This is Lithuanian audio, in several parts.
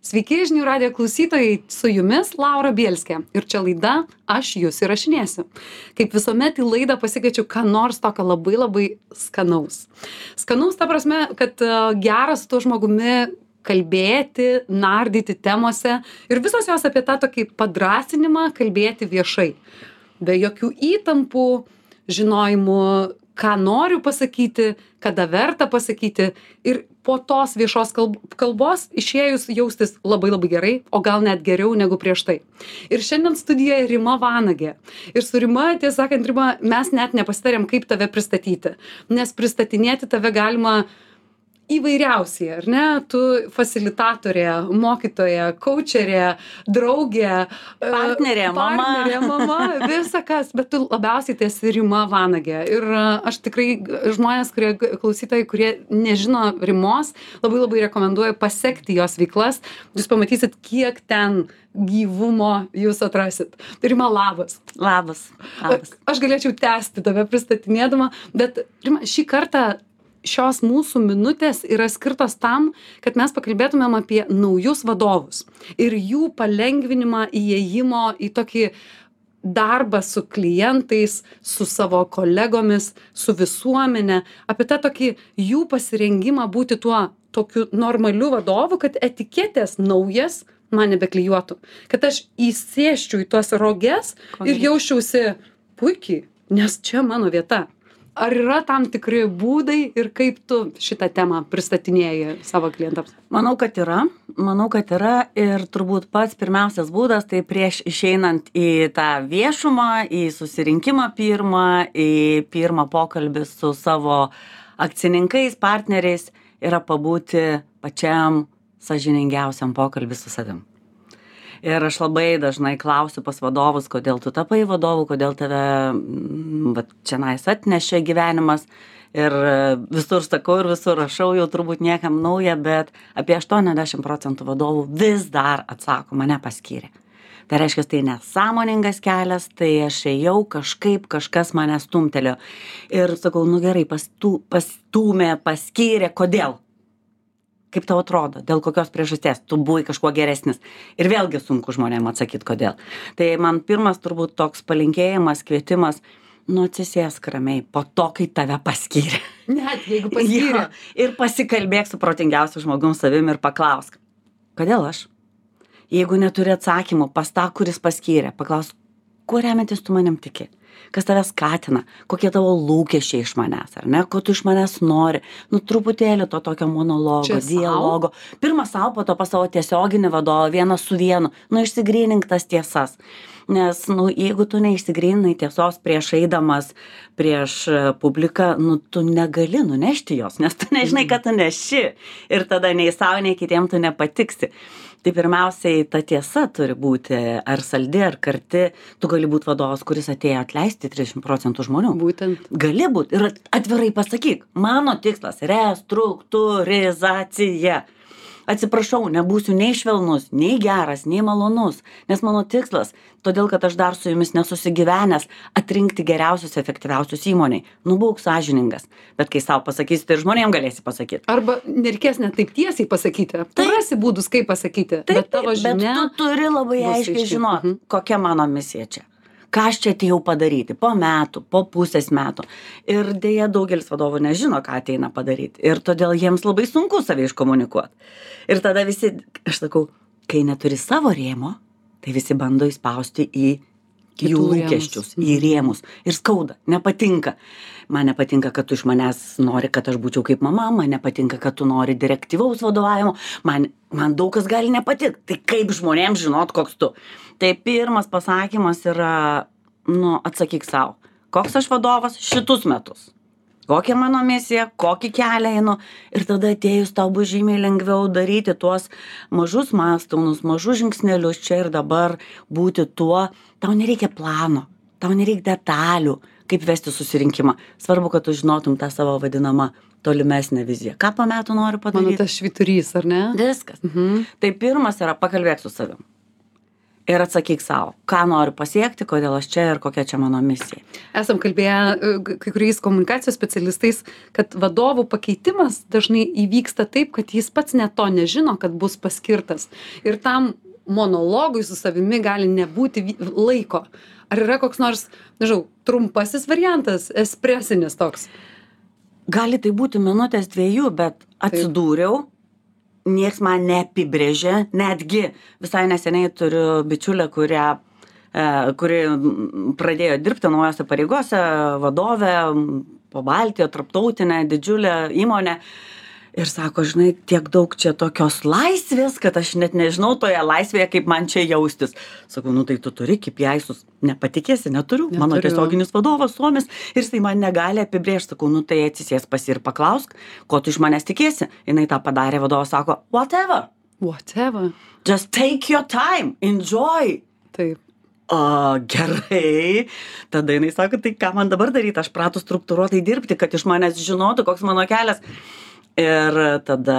Sveiki, žinių radijo klausytojai, su jumis Laura Bielskė. Ir čia laida Aš jūs įrašinėsiu. Kaip visuomet į laidą pasikviečiu ką nors tokio labai skanaus. Skanaus ta prasme, kad geras su tuo žmogumi kalbėti, nardyti temose ir visos jos apie tą tokį padrąsinimą kalbėti viešai. Be jokių įtampų, žinojimų, ką noriu pasakyti, kada verta pasakyti ir po tos viešos kalbos išėjus jaustis labai gerai, o gal net geriau negu prieš tai. Ir šiandien studijoje Rima Vanagė. Ir su Rima, tiesą sakant, Rima, mes net nepasitarėm, kaip tave pristatyti, nes pristatinėti tave galima įvairiausiai, ar ne? Tu fasilitatorė, mokytoja, kaučerė, draugė, partnerė, mama, visa kas, bet tu labiausiai tai esi Rima Vanagė. Ir aš tikrai žmonės, klausytojai, kurie nežino Rimos, labai rekomenduoju pasekti jos veiklas. Jūs pamatysit, kiek ten gyvumo jūs atrasit. Rima, labas. Labas. Aš galėčiau tęsti tave pristatinėdama, bet Rima, šį kartą šios mūsų minutės yra skirtos tam, kad mes pakalbėtumėm apie naujus vadovus ir jų palengvinimą įėjimo į tokį darbą su klientais, su savo kolegomis, su visuomenė, apie tą tokį jų pasirengimą būti tuo tokiu normaliu vadovu, kad etiketės naujas man nebeklijuotų, kad aš įsėsčiau į tuos roges ir jausčiausi puikiai, nes čia mano vieta. Ar yra tam tikri būdai ir kaip tu šitą temą pristatinėji savo klientams? Manau, kad yra ir turbūt pats pirmiausias būdas, tai prieš išeinant į tą viešumą, į susirinkimą į pirmą pokalbį su savo akcininkais, partneriais, yra pabūti pačiam sąžiningiausiam pokalbį su savim. Ir aš labai dažnai klausiu pas vadovus, kodėl tu tapai vadovu, kodėl tave čianais atnešė gyvenimas. Ir visur sakau ir visur rašau, jau turbūt niekam nauja, bet apie 80% vadovų vis dar atsako, mane paskyrė. Tai reiškia, tai nesąmoningas kelias, tai aš ėjau kažkas mane stumtelėjo. Ir sakau, gerai, pastūmė, paskyrė, kodėl? Kaip tau atrodo, dėl kokios priežasties tu buvai kažkuo geresnis. Ir vėlgi sunku žmonėm atsakyti, kodėl. Tai man pirmas turbūt toks palinkėjimas, kvietimas, atsisėsk ramiai po to, kai tave paskyrė. Net jeigu paskyrė. Ir pasikalbėk su protingiausiu žmogum savim ir paklausk, kodėl aš? Jeigu neturi atsakymų, pas tą, kuris paskyrė, paklausk, kuo remiantis tu manim tiki? Kas tave skatina, kokie tavo lūkesčiai iš manęs, ar ne, ko tu iš manęs nori, truputėlį to tokio monologo, dialogo. Pirma sau, po to pas savo tiesioginį vadovą, vienas su vienu, išsigrynink tas tiesas. Nes, jeigu tu neišsigryninai tiesos prieš eidamas prieš publiką, tu negali nunešti jos, nes tu nežinai, kad tu neši ir tada nei savo, nei kitiem tu nepatiksi. Tai pirmiausiai ta tiesa turi būti ar saldi, ar karti. Tu gali būti vadovas, kuris atėjo atleisti 30% žmonių. Būtent. Gali būti ir atvirai pasakyk, mano tikslas restruktūrizacija. Atsiprašau, nebūsiu nei švelnus, nei geras, nei malonus, nes mano tikslas, todėl kad aš dar su jumis nesusigyvenęs, atrinkti geriausius, efektyviausius įmoniai. Būk sąžiningas, bet kai savo pasakysi, tai ir žmonėm galėsi pasakyti. Arba nereikės net taip tiesiai pasakyti. Tu rasi būdus, kaip pasakyti. Bet tavo žinia, bet tu turi labai aiškiai žinoti, kokia mano misija čia. Ką aš čia atėjau padaryti po metų, po pusės metų. Ir dėja daugelis vadovų nežino, ką ateina padaryti. Ir todėl jiems labai sunku save iškomunikuoti. Ir tada visi, aš sakau, kai neturi savo rėmo, tai visi bando įspausti į jų lūkesčius, į rėmus. Ir skauda, nepatinka. Man nepatinka, kad tu iš manęs nori, kad aš būčiau kaip mama, man nepatinka, kad tu nori direktyvaus vadovavimo, man daug kas gali nepatikti. Tai kaip žmonėms žinot, koks tu. Tai pirmas pasakymas yra, atsakyk savo, koks aš vadovas šitus metus. Kokia mano misija, kokį kelią einu. Ir tada atėjus tau bus žymiai lengviau daryti tuos mažus mąstomus, mažus žingsnelius čia ir dabar būti tuo. Tau nereikia plano, tau nereikia detalių, kaip vesti susirinkimą. Svarbu, kad tu žinotum tą savo vadinamą tolimesnę viziją. Ką po metų noriu padaryti? Mano tas švyturys, ar ne? Viskas. Tai pirmas yra pakalbėk su savim. ir atsakyk sau, ką noriu pasiekti, kodėl aš čia ir kokia čia mano misija. Esam kalbėję kai kuriais komunikacijos specialistais, kad vadovų pakeitimas dažnai įvyksta taip, kad jis pats net to nežino, kad bus paskirtas. Ir tam monologui su savimi gali nebūti laiko. Ar yra koks nors, nežinau, trumpasis variantas, espresinis toks? Gali tai būti minutės 2, bet atsidūriau, nieks man neapibrėžė, netgi visai neseniai turiu bičiulę, kuri pradėjo dirbti naujose pareigose, vadovė, po Baltiją, tarptautinę, didžiulę įmonę. Ir sako, žinai, tiek daug čia tokios laisvės, kad aš net nežinau toje laisvėje, kaip man čia jaustis. Sakau, nu tai tu turi, kaip jaisus, nepatikėsi, neturiu. Mano tiesioginis vadovas Suomis ir jisai man negali apibrėžti. Sakau, nu tai atsisės pas ir paklausk, ko tu iš manęs tikėsi. Jinai tą padarė, vadovas sako, whatever. Just take your time, enjoy. Taip. O, gerai. Tada jinai sako, tai ką man dabar daryti, aš pratu struktūruotai dirbti, kad iš manęs žinotų, koks mano kelias. Ir tada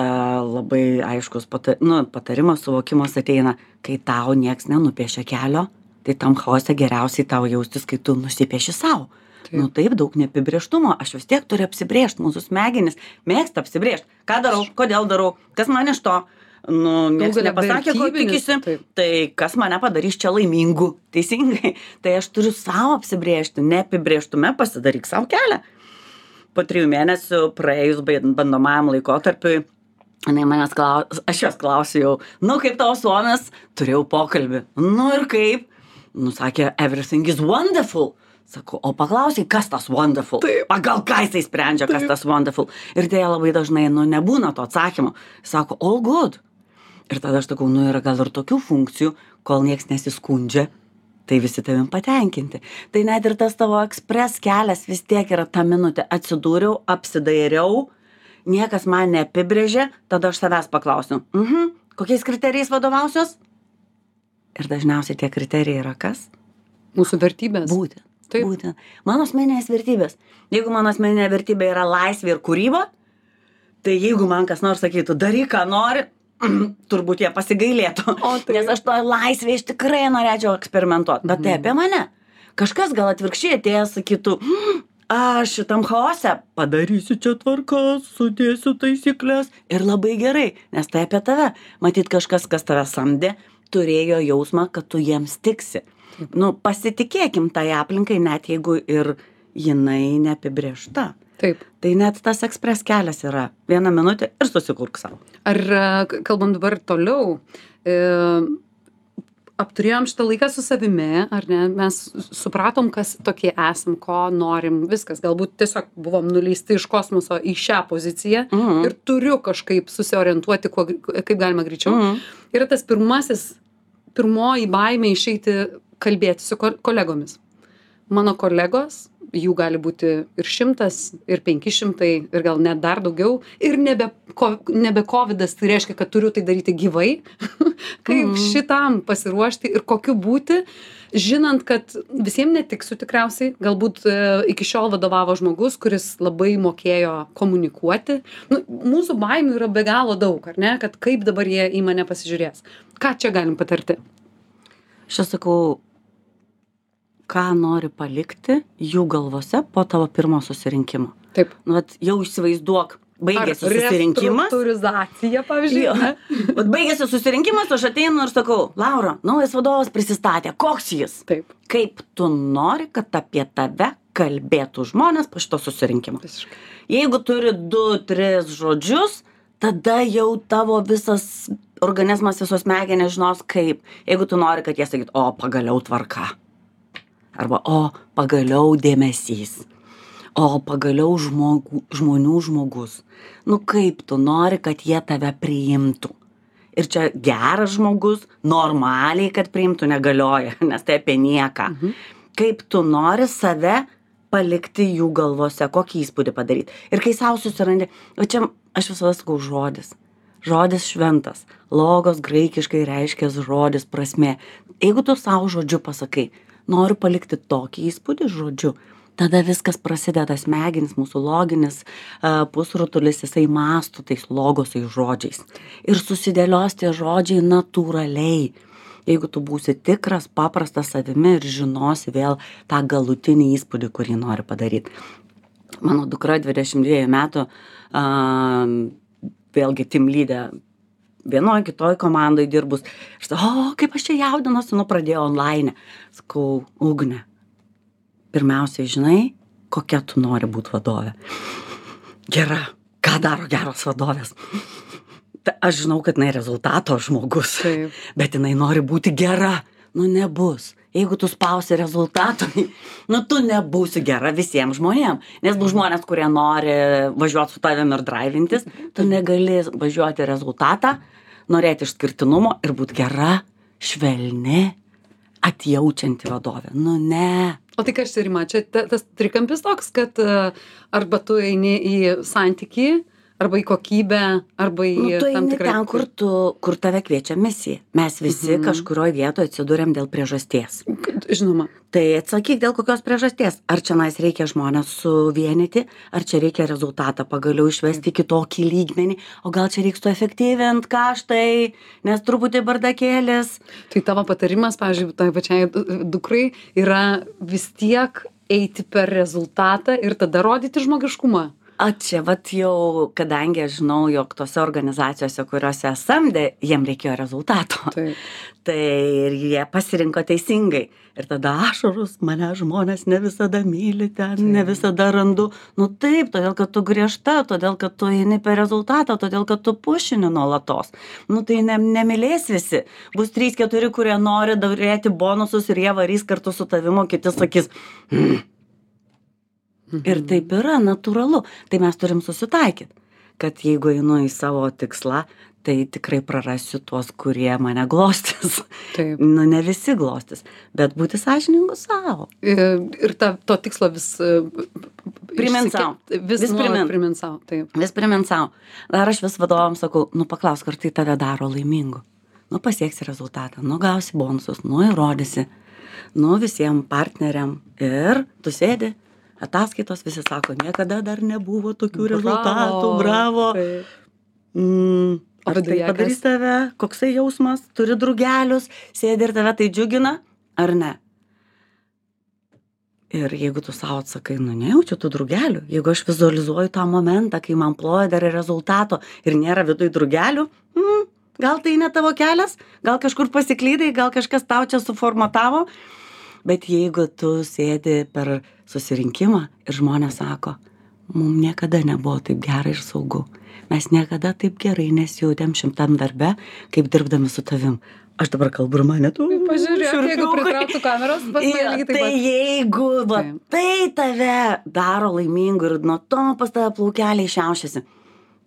labai aiškus patarimas, suvokimas ateina, kai tau nieks nenupiešia kelio, tai tam chaose geriausiai tau jaustis, kai tu nusipieši savo. Nu taip, daug neapibrėžtumo, aš vis tiek turiu apsibrėžti, mūsų smegenys mėgsta apsibrėžti, ką darau, kodėl darau, kas man iš to, nieks nepasakė, ko tikisi, tai kas mane padarys čia laimingu, teisingai, tai aš turiu savo apsibrėžti, neapibrėžtume pasidaryk savo kelią. Po 3 mėnesių praėjus bandomajam laikotarpiui, aš jos klausiu jau, nu kaip tavo Suomis, turėjau pokalbį, nu ir kaip, nu sakė, everything is wonderful, sakau, o paklausiai, kas tas wonderful, pagal ką jisai sprendžia, kas tas wonderful, ir dėja labai dažnai, nu nebūna to atsakymo, sako, all good, ir tada aš sakau, nu yra gal ir tokių funkcijų, kol nieks nesiskundžia, tai visi tavim patenkinti. Tai net ir tas tavo ekspres kelias vis tiek yra ta minutė. Atsidūriau, apsidairiau, niekas man neapibrėžė, tada aš savęs paklausiu, kokiais kriterijais vadovausios? Ir dažniausiai tie kriterijai yra kas? Mūsų vertybės. Būtent. Mano asmeninės vertybės. Jeigu mano asmeninė vertybė yra laisvė ir kūryba, tai jeigu man kas nors sakytų, daryk, ką nori, turbūt jie pasigailėtų, nes aš to laisvė iš tikrai norėčiau eksperimentuoti, bet tai apie mane. Kažkas gal atvirkščiai atėjęs sakytų, aš šitam chaose padarysiu čia tvarkas, sudėsiu taisyklės ir labai gerai, nes tai apie tave. Matyt, kažkas, kas tave samdė, turėjo jausmą, kad tu jiems tiksi. Nu, pasitikėkim tai aplinkai, net jeigu ir jinai neapibrėžta. Taip. Tai net tas ekspres kelias yra 1 minutė ir susikurk savo. Ar kalbam dabar toliau, apturėjom šitą laiką su savimi, ar ne, mes supratom, kas tokie esam, ko norim, viskas, galbūt tiesiog buvom nuleisti iš kosmoso į šią poziciją ir turiu kažkaip susiorientuoti, kaip galima greičiau. Yra tas pirmoji baimė išeiti kalbėti su kolegomis. Mano kolegos, jų gali būti ir 100, ir 500, ir gal net dar daugiau. Ir nebe covidas, tai reiškia, kad turiu tai daryti gyvai. Kaip šitam pasiruošti ir kokiu būti, žinant, kad visiems netiksiu tikriausiai. Galbūt iki šiol vadovavo žmogus, kuris labai mokėjo komunikuoti. Nu, mūsų baimių yra be galo daug, ar ne? Kad kaip dabar jie į mane pasižiūrės. Ką čia galim patarti? Aš sakau, ką nori palikti jų galvose po tavo pirmo susirinkimo. Taip. Nu, jau įsivaizduok, baigėsi susirinkimas. Restruktūrizacija, pavyzdžiui. Vat baigėsi susirinkimas, aš ateinu ir sakau, Laura, naujas vadovas prisistatė, koks jis? Taip. Kaip tu nori, kad apie tave kalbėtų žmonės po šito susirinkimo? Visiškai. Jeigu turi 2-3 žodžius, tada jau tavo visas organizmas, visos smegenys žinos kaip. Jeigu tu nori, kad jie sakytų, o pagaliau tvarka. Arba, o pagaliau dėmesys, o pagaliau žmonių žmogus. Nu kaip tu nori, kad jie tave priimtų? Ir čia geras žmogus, normaliai, kad priimtų, negalioja, nes tai apie nieką. Kaip tu nori save palikti jų galvose, kokį įspūdį padaryti. Ir kai savo susirandi, o čia aš visada sakau žodis. Žodis šventas. Logos graikiškai reiškia žodis, prasmė. Jeigu tu savo žodžiu pasakai, noriu palikti tokį įspūdį žodžiu, tada viskas prasideda, smegenis, mūsų loginis pusrutulis, jisai mąsto tais logosais žodžiais. Ir susidėlios tie žodžiai natūraliai. jeigu tu būsi tikras, paprastas savimi ir žinosi vėl tą galutinį įspūdį, kurį nori padaryti. Mano dukra 22 metų, vėlgi team leader, vienoje kitoj komandai dirbus. Aš sakau, kaip aš čia jaudinuosi, pradėjau online. Sakau, Ugne, pirmiausiai žinai, kokia tu nori būti vadovė. Gera. Ką daro geros vadovės? Aš žinau, kad jinai rezultato žmogus, bet jinai nori būti gera. Nebus. Jeigu tu spausi rezultato, tu nebūsi gera visiems žmonėms. Nes bus žmonės, kurie nori važiuoti su tavim ir drivintis, tu negali važiuoti rezultatą, norėti išskirtinumo ir būti gera, švelni, atjaučianti vadovė. Ne. O tai kas čia, Rima, čia tas trikampis toks, kad arba tu eini į santykį, arba į kokybę, arba į tam tikrą... ten, kur tave kviečia misija. Mes visi kažkurioje vietoje atsidūrėm dėl priežasties. Žinoma. Tai atsakyk dėl kokios priežasties. Ar čia reikia žmonės suvienyti, ar čia reikia rezultatą pagaliau išvesti kitokį lygmenį, o gal čia reiks efektyvinti kaštai, nes truputį bardakėlis. Tai tavo patarimas, pavyzdžiui, tai pačiai dukrai yra vis tiek eiti per rezultatą ir tada rodyti žmogiškumą. Čia jau, kadangi aš žinau, jog tose organizacijose, kuriuose samdė, jiem reikėjo rezultato. Tai ir jie pasirinko teisingai. Ir tada ašarus, mane žmonės ne visada myli ten, ne visada randu. Taip, todėl, kad tu griežta, todėl, kad tu eini per rezultatą, todėl, kad tu pušini nuolatos. Tai nemylės visi. Bus 3-4, kurie nori daryti bonusus ir jie varys kartu su tavimu, kiti sakys, Ir taip yra natūralu. Tai mes turim susitaikyti, kad jeigu einu į savo tikslą, tai tikrai prarasiu tuos, kurie mane glostys. Taip. Ne visi glostys, bet būti sąžiningu savo. Ir to tikslo vis... Primint savo. Vis primint savo, taip. Vis primint savo. Dar aš vis vadovams sakau, paklausk, ar tai tave daro laimingu. Pasieksi rezultatą, gausi bonusus, įrodysi, visiems partneriam ir tu sėdi. Ataskaitos visi sako, niekada dar nebuvo tokių rezultatų, bravo. Ar tai padarys tave, koksai jausmas, turi drugelius, sėdi ir tave tai džiugina, ar ne? Ir jeigu tu savo atsakai, nejaučiu tų drugelių, jeigu aš vizualizuoju tą momentą, kai man ploja dar rezultato ir nėra viduj drugelių, gal tai ne tavo kelias, gal kažkur pasiklydai, gal kažkas tau čia suformatavo. Bet jeigu tu sėdi per susirinkimą ir žmonės sako, mums niekada nebuvo taip gerai ir saugu. Mes niekada taip gerai nesijautėm šimtam darbe, kaip dirbdami su tavim. Aš dabar kalbu ir mane tu. Pažiūrėk, jeigu pritrauktų kameros, pas mane lygiai taip pat. Tai jeigu tai tave daro laimingu ir nuo to pas tave plaukeliai šiaušiasi,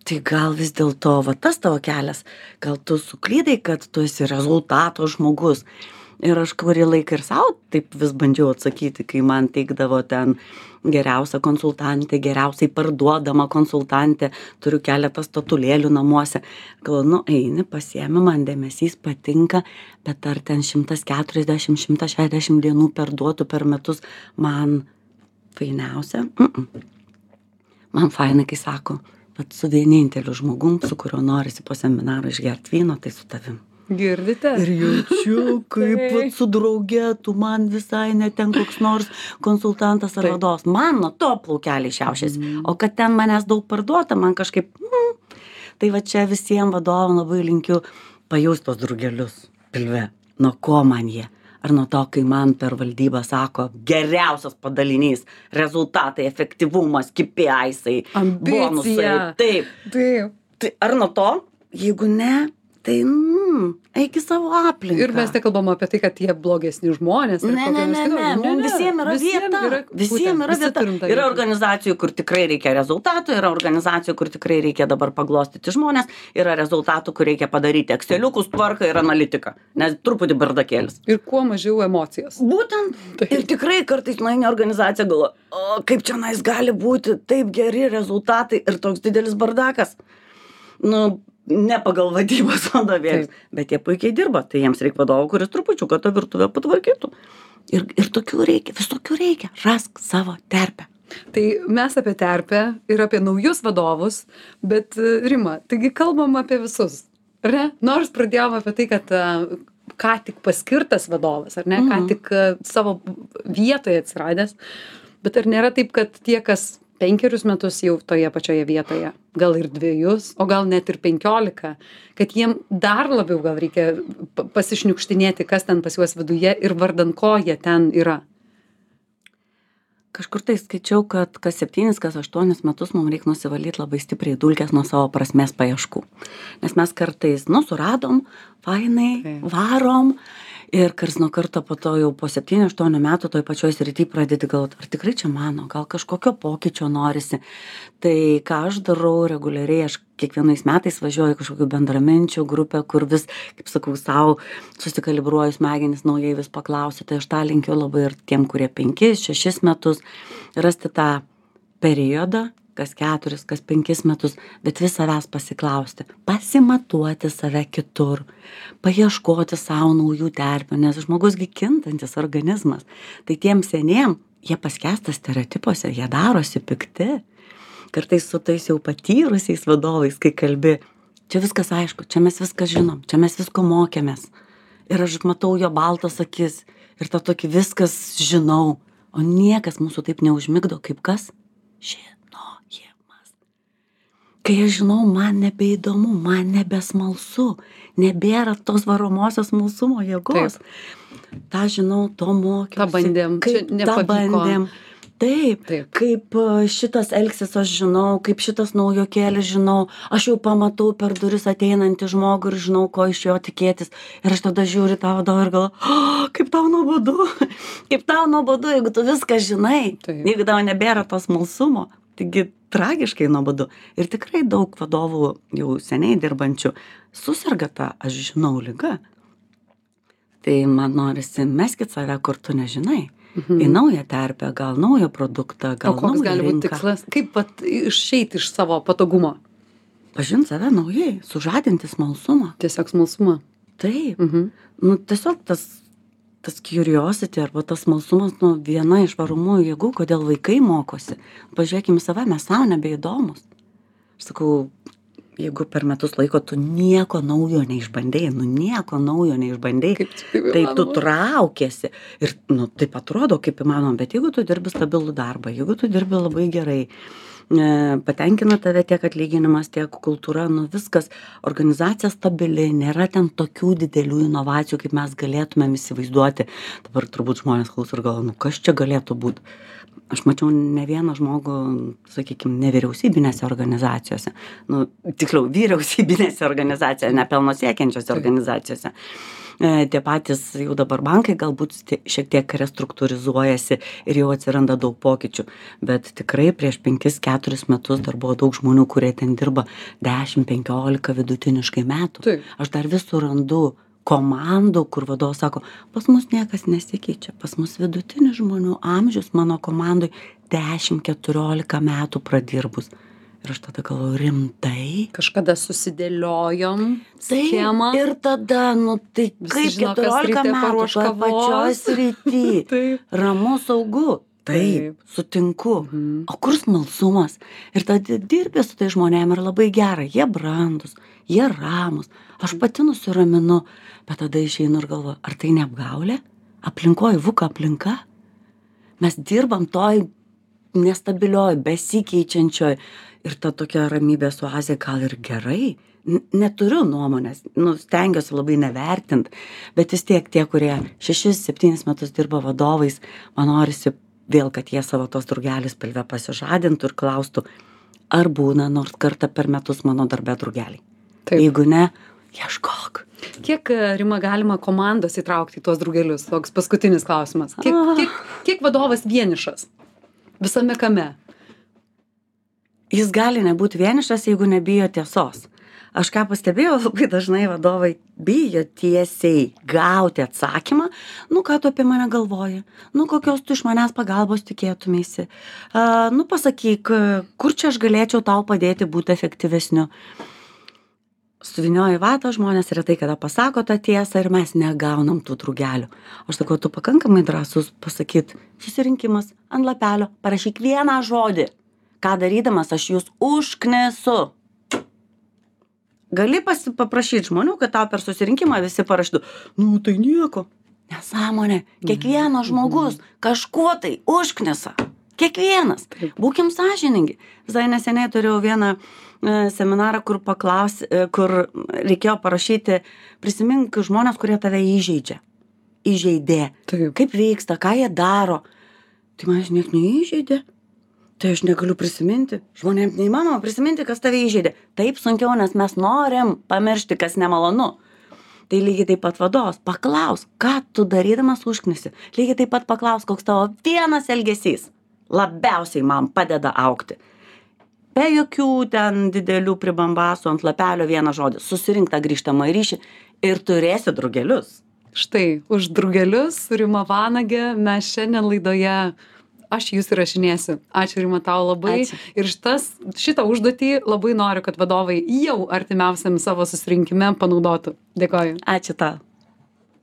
tai gal vis dėlto tas tavo kelias, gal tu suklydai, kad tu esi rezultato žmogus. Ir aš kurį laiką ir savo taip vis bandžiau atsakyti, kai man teikdavo ten geriausia konsultantė, geriausiai parduodama konsultantė, turiu keletą statulėlių namuose. Galvoju, eini, pasiemi, man dėmesys patinka, bet ar ten 140-160 dienų perduotų per metus man fainiausia? Man fainai, kai sako, bet su vieninteliu žmogum, su kuriuo norisi po seminarą išgerti vyno, tai su tavim. Girdite? Ir jaučiu, kaip su drauge, tu man visai neten koks nors konsultantas ar vadovas. Man nuo to plaukeliai šiaušiasi. O kad ten manęs daug parduota, man kažkaip... Tai čia visiems vadovam labai linkiu pajust tos drugelius pilve. Nuo ko man jie? Ar nuo to, kai man per valdybą sako geriausias padalinys, rezultatai, efektyvumas, KPI-ai, bonusai. Taip. Ar nuo to? Jeigu ne... Tai, eik į savo aplinką. Ir mes nekalbam apie tai, kad jie blogesni žmonės. Ne, visiems yra vieta. Visiems yra vieta. Yra organizacijų, kur tikrai reikia rezultatų, yra organizacijų, kur tikrai reikia dabar paglostyti žmonės, yra rezultatų, kur reikia padaryti Exceliukus, tvarką ir analitiką, nes truputį bardakėlis. Ir kuo mažiau emocijos. Būtent. Ir tikrai kartais nueini organizacija galvo, kaip čia gali būti taip geri rezultatai ir toks didelis bardakas. Ne pagal vadybos vadovėlius, bet jie puikiai dirba, tai jiems reikia vadovo, kuris trupučiuką tą virtuvę patvarkytų. Ir tokių reikia, visokių reikia. Rask savo terpę. Tai mes apie terpę ir apie naujus vadovus, bet Rima, taigi kalbam apie visus, ar ne? Nors pradėjom apie tai, kad ką tik paskirtas vadovas, ar ne, ką tik savo vietoje atsiradęs. Bet ar nėra taip, kad tie, kas 5 metus jau toje pačioje vietoje, gal ir 2, o gal net ir 15, kad jiem dar labiau gal reikia pasišniukštinėti, kas ten pas juos viduje ir vardan ko jie ten yra? Kažkur tai skaičiau, kad kas 7, kas 8 metus mums reikia nusivalyti labai stipriai dulkes nuo savo prasmės paieškų. Nes mes kartais, suradom, fainai, varom. Ir karts nuo karto po to jau po 7-8 metų toj pačioj srity pradedi galvoti, ar tikrai čia mano, gal kažkokio pokyčio norisi. Tai ką aš darau reguliariai, aš kiekvienais metais važiuoju kažkokių bendraminčių grupę, kur vis, kaip sakau, savo susikalibruoju smegenis, naujai vis paklausiu. Tai aš tą linkiu labai ir tiem, kurie 5-6 metus, rasti tą periodą, kas 4, kas 5 metus, bet vis savęs pasiklausti, pasimatuoti save kitur, paieškoti savo naujų terpių, nes žmogusgi kintantis organizmas. Tai tiem seniem, jie paskęsta stereotipuose, jie darosi pikti. Kartais su tais jau patyrusiais vadovais, kai kalbi, čia viskas aišku, čia mes viską žinom, čia mes visko mokėmės. Ir aš matau jo baltas akis ir tą tokį viskas žinau, o niekas mūsų taip neužmigdo, kaip kas? Žinojimas. Kai aš žinau, man nebeįdomu, man nebesmalsu, nebėra tos varomosios smalsumo jėgos. Ta žinau, to mokiausi. Ta bandėm, čia nepavyko. Taip, kaip šitas elgsis aš žinau, kaip šitas naujokėlis žinau, aš jau pamatau per duris ateinantį žmogų ir žinau, ko iš jo tikėtis. Ir aš tada žiūriu tą vadovą ir galvoju, kaip tau nuobodu, jeigu tu viską žinai, jeigu tau nebėra tos smalsumo, taigi tragiškai nuobodu. Ir tikrai daug vadovų jau seniai dirbančių susirga tą, aš žinau, ligą. Tai man norisi, meskit save, kur tu nežinai. Į naują terpę, gal naują produktą, gal naują rinką. O koks gali būti tikslas? Kaip išeiti iš savo patogumo? Pažinti save naujai, sužadinti smalsumą. Tiesiog smalsumą. Taip. Tiesiog tas curiosity arba tas smalsumas, viena iš varomųjų jėgų, kodėl vaikai mokosi. Pažiūrėkime save, mes savo nebeįdomus. Aš sakau, jeigu per metus laiko tu nieko naujo neišbandėjai, tai tu traukiesi. Ir, taip atrodo, kaip įmanoma, bet jeigu tu dirbi stabilų darbą, jeigu tu dirbi labai gerai, patenkina tave tiek atlyginimas, tiek kultūra, viskas, organizacija stabili, nėra ten tokių didelių inovacijų, kaip mes galėtumėm įsivaizduoti. Dabar turbūt žmonės klauso ir galvoja, kas čia galėtų būti. Aš mačiau ne vieną žmogų, sakykime, nevyriausybinėse organizacijose, tiksliau, vyriausybinėse organizacijose, nepelno siekiančiose organizacijose. Tie patys jau dabar bankai galbūt šiek tiek restruktūrizuojasi ir jau atsiranda daug pokyčių, bet tikrai prieš 5-4 metus dar buvo daug žmonių, kurie ten dirba 10-15 vidutiniškai metų. Taip. Aš dar vis surandu komandų, kur vadovas sako, pas mus niekas nesikeičia, pas mus vidutinis žmonių amžius mano komandoj 10-14 metų pradirbus. Ir aš tada galvoju, rimtai? Kažkada susidėliojom schemą. Ir tada, tai kaip 14 metų toje pačioj srity. Ramu, saugu. Taip, sutinku. O kur smalsumas? Ir tada dirbė su tai žmonėm ir labai gera. Jie brandus, jie ramus. Aš pati nusiraminu, bet tada išeinu ir galvoju, ar tai neapgaulė? Aplinkoji vuka aplinka? Mes dirbam toj nestabilioj, besikeičiančioj ir ta tokia ramybė su Azija gal ir gerai. Neturiu nuomonės, stengiuosi labai nevertint, bet vis tiek tie, kurie 6-7 metus dirba vadovais, man norisi vėl, kad jie savo tos drugelis pilve pasižadintų ir klaustų, ar būna nors kartą per metus mano darbe drugeliai. Taip. Jeigu ne, ieškok. Kiek, Rima, galima komandos įtraukti į tuos drugelius? Toks paskutinis klausimas. Kiek vadovas vienišas? Visame kame? Jis gali nebūti vienišas, jeigu nebijo tiesos. Aš ką pastebėjau, labai dažnai vadovai bijo tiesiai gauti atsakymą, ką tu apie mane galvoji, kokios tu iš manęs pagalbos tikėtumėsi, pasakyk, kur čia aš galėčiau tau padėti būti efektyvesniu. Suvinioji vatą, žmonės retai kada pasako tą tiesą ir mes negaunam tų drugelių. Aš sakau, tu pakankamai drąsus pasakyt, susirinkimas ant lapelio, parašyk vieną žodį. Ką darydamas, aš jūs užknesu. gali paprašyti žmonių, kad tau per susirinkimą visi parašytų, nu tai nieko. Nesąmonė. Kiekvienas žmogus kažkuo tai užknisa. Kiekvienas. Būkim sąžiningi. Visai neseniai turėjau vieną seminarą, kur reikėjo parašyti, prisimink žmonės, kurie tave įžeidžia. Įžeidė. Taip. Kaip vyksta, ką jie daro. Tai manęs niek neįžeidė. Tai aš negaliu prisiminti. Žmonėms neįmanoma prisiminti, kas tave įžeidė. Taip sunkiau, nes mes norim pamiršti, kas nemalonu. Tai lygiai taip pat vadovas. Paklaus, ką tu darydamas užknisi. Lygiai taip pat paklaus, koks tavo vienas elgesys labiausiai man padeda augti. Be jokių ten didelių pribambasų ant lapelio vieną žodį. Susirink tą grįžtamą ryšį ir turėsi drugelius. Štai, už drugelius su Rima Vanage mes šiandien laidoje Aš Jus įrašinėsiu. Ačiū, Rima, tau labai. Ačiū. Ir šitą užduotį labai noriu, kad vadovai jau artimiausiam savo susirinkime panaudotų. Dėkoju. Ačiū tau.